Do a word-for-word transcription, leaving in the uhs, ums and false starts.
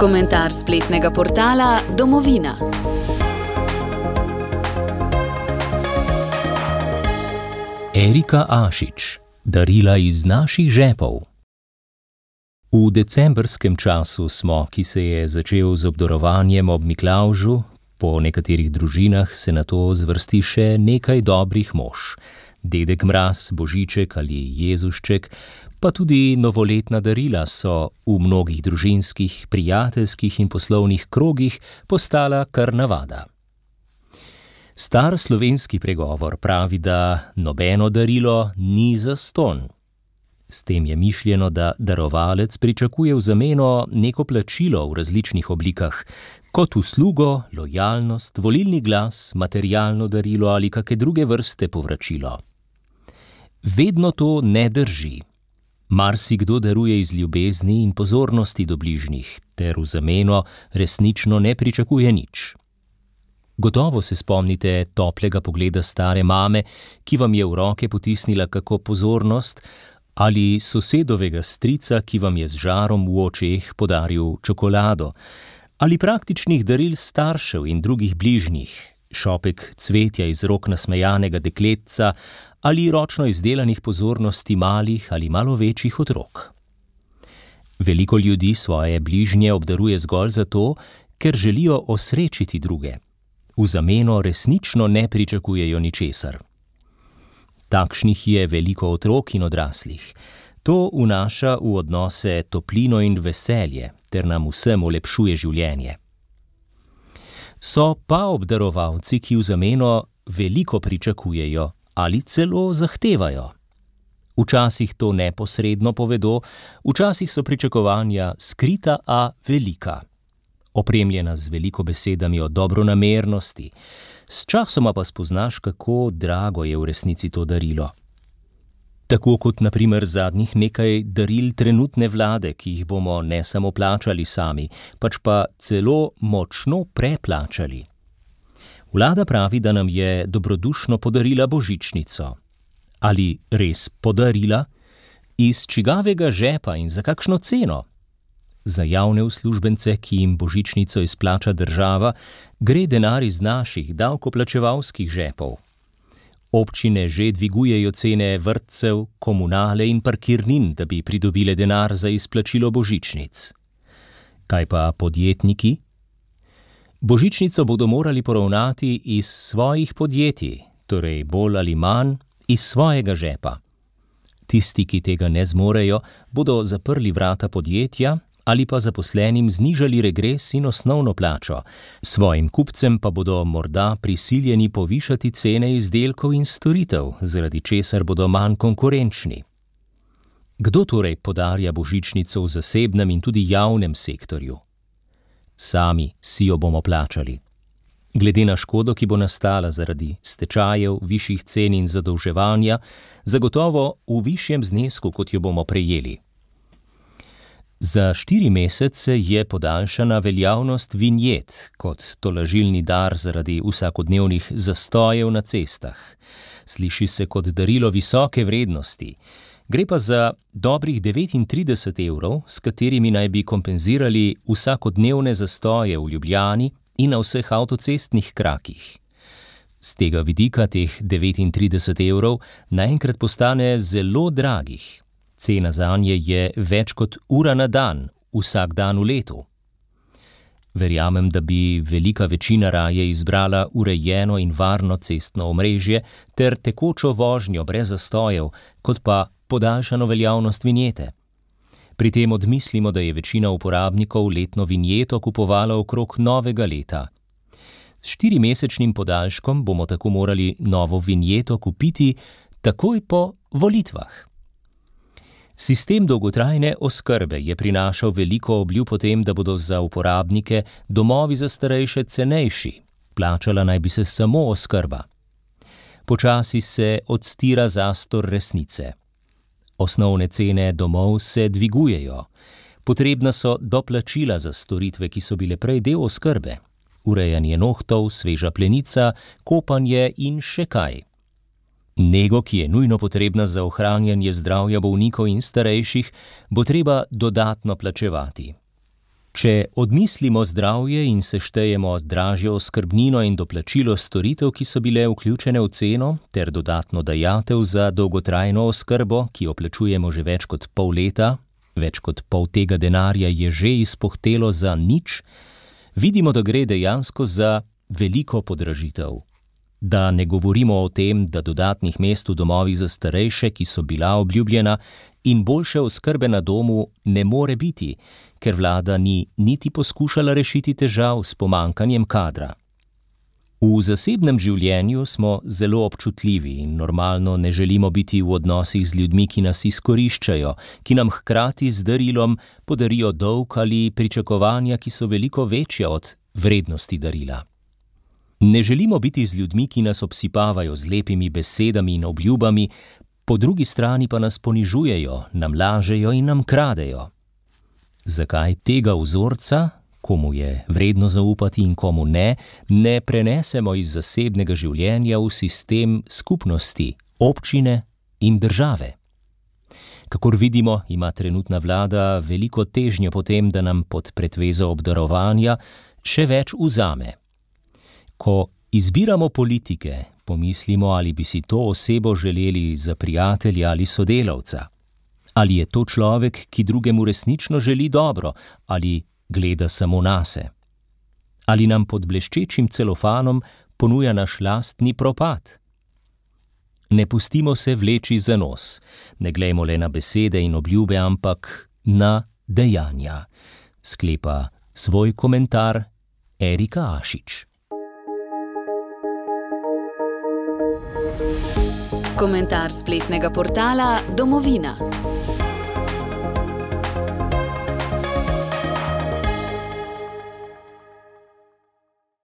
Komentar spletnega portala Domovina. Erika Ašič. Darila iz naših žepov. V decembrskem času smo, ki se je začel z obdarovanjem ob Miklavžu, po nekaterih družinah se na to zvrsti še nekaj dobrih mož. Dedek Mraz, Božiček ali Jezušček, pa tudi novoletna darila so v mnogih družinskih, prijateljskih in poslovnih krogih postala kar navada. Star slovenski pregovor pravi, da nobeno darilo ni zastonj. S tem je mišljeno, da darovalec pričakuje v zameno neko plačilo v različnih oblikah, kot uslugo, lojalnost, volilni glas, materialno darilo ali kake druge vrste povračilo. Vedno to ne drži. Marsikdo daruje iz ljubezni in pozornosti do bližnjih, ter v zameno resnično ne pričakuje nič. Gotovo se spomnite toplega pogleda stare mame, ki vam je v roke potisnila kako pozornost, ali sosedovega strica, ki vam je z žarom v očeh podaril čokolado, ali praktičnih daril staršev in drugih bližnjih, šopek cvetja iz rok nasmejanega dekletca ali ročno izdelanih pozornosti malih ali malo večjih otrok. Veliko ljudi svoje bližnje obdaruje zgolj zato, ker želijo osrečiti druge. V zameno resnično ne pričakujejo ničesar. Takšnih je veliko otrok in odraslih. To vnaša v odnose toplino in veselje, ter nam vsem olepšuje življenje. So pa obdarovalci, ki v zameno veliko pričakujejo ali celo zahtevajo. Včasih to neposredno povedo, včasih so pričakovanja skrita, a velika. Opremljena z veliko besedami o dobronamernosti, sčasoma pa spoznaš, kako drago je v resnici to darilo. Tako kot na primer zadnjih nekaj daril trenutne vlade, ki jih bomo ne samo plačali sami, pač pa celo močno preplačali. Vlada pravi, da nam je dobrodušno podarila božičnico. Ali res podarila? Iz čigavega žepa in za kakšno ceno? Za javne uslužbence, ki jim božičnico izplača država, gre denar iz naših davkoplačevalskih žepov. Občine že dvigujejo cene vrtcev, komunale in parkirnin, da bi pridobile denar za izplačilo božičnic. Kaj pa podjetniki? Božičnico bodo morali poravnati iz svojih podjetij, torej bolj ali manj iz svojega žepa. Tisti, ki tega ne zmorejo, bodo zaprli vrata podjetja ali pa zaposlenim znižali regres in osnovno plačo, svojim kupcem pa bodo morda prisiljeni povišati cene izdelkov in storitev, zaradi česar bodo manj konkurenčni. Kdo torej podarja božičnico v zasebnem in tudi javnem sektorju? Sami si jo bomo plačali. Glede na škodo, ki bo nastala zaradi stečajev, višjih cen in zadolževanja, zagotovo v višjem znesku, kot jo bomo prejeli. Za štiri mesece je podaljšana veljavnost vinjet kot tolažilni dar zaradi vsakodnevnih zastojev na cestah. Sliši se kot darilo visoke vrednosti. Gre pa za dobrih devetintrideset evrov, s katerimi naj bi kompenzirali vsakodnevne zastoje v Ljubljani in na vseh avtocestnih krakih. Z tega vidika teh devetintrideset evrov naenkrat postane zelo dragih. Cena zanje je več kot ura na dan, vsak dan v letu. Verjamem, da bi velika večina raje izbrala urejeno in varno cestno omrežje ter tekočo vožnjo brez zastojev, kot pa podaljšano veljavnost vinjete. Pri tem odmislimo, da je večina uporabnikov letno vinjeto kupovala okrog novega leta. S štirimesečnim podaljškom bomo tako morali novo vinjeto kupiti takoj po volitvah. Sistem dolgotrajne oskrbe je prinašal veliko obljub o tem, da bodo za uporabnike domovi za starejše cenejši. Plačala naj bi se samo oskrba. Počasi se odstira zastor resnice. Osnovne cene domov se dvigujejo. Potrebna so doplačila za storitve, ki so bile prej del oskrbe. Urejanje nohtov, sveža plenica, kopanje in še kaj. Nego, ki je nujno potrebna za ohranjanje zdravja bolnikov in starejših, bo treba dodatno plačevati. Če odmislimo zdravje in seštejemo dražjo oskrbnino in doplačilo storitev, ki so bile vključene v ceno, ter dodatno dajatev za dolgotrajno oskrbo, ki jo plačujemo že več kot pol leta, več kot pol tega denarja je že izpuhtelo za nič, vidimo, da gre dejansko za veliko podražitev. Da ne govorimo o tem, da dodatnih mest v domovih za starejše, ki so bila obljubljena, in boljše oskrbe na domu ne more biti, ker vlada ni niti poskušala rešiti težav s pomanjkanjem kadra. V zasebnem življenju smo zelo občutljivi in normalno ne želimo biti v odnosih z ljudmi, ki nas izkoriščajo, ki nam hkrati z darilom podarijo dolg ali pričakovanja, ki so veliko večja od vrednosti darila. Ne želimo biti z ljudmi, ki nas obsipavajo z lepimi besedami in obljubami, po drugi strani pa nas ponižujejo, nam lažejo in nam kradejo. Zakaj tega vzorca, komu je vredno zaupati in komu ne, ne prenesemo iz zasebnega življenja v sistem skupnosti, občine in države? Kakor vidimo, ima trenutna vlada veliko težnjo po tem, da nam pod pretvezo obdarovanja še več vzame. Ko izbiramo politike, pomislimo, ali bi si to osebo želeli za prijatelja ali sodelavca. Ali je to človek, ki drugemu resnično želi dobro, ali gleda samo nase? Ali nam pod bleščečim celofanom ponuja naš lastni propad? Ne pustimo se vleči za nos, ne glejmo le na besede in obljube, ampak na dejanja, sklepa svoj komentar Erika Ašič. Komentar spletnega portala Domovina.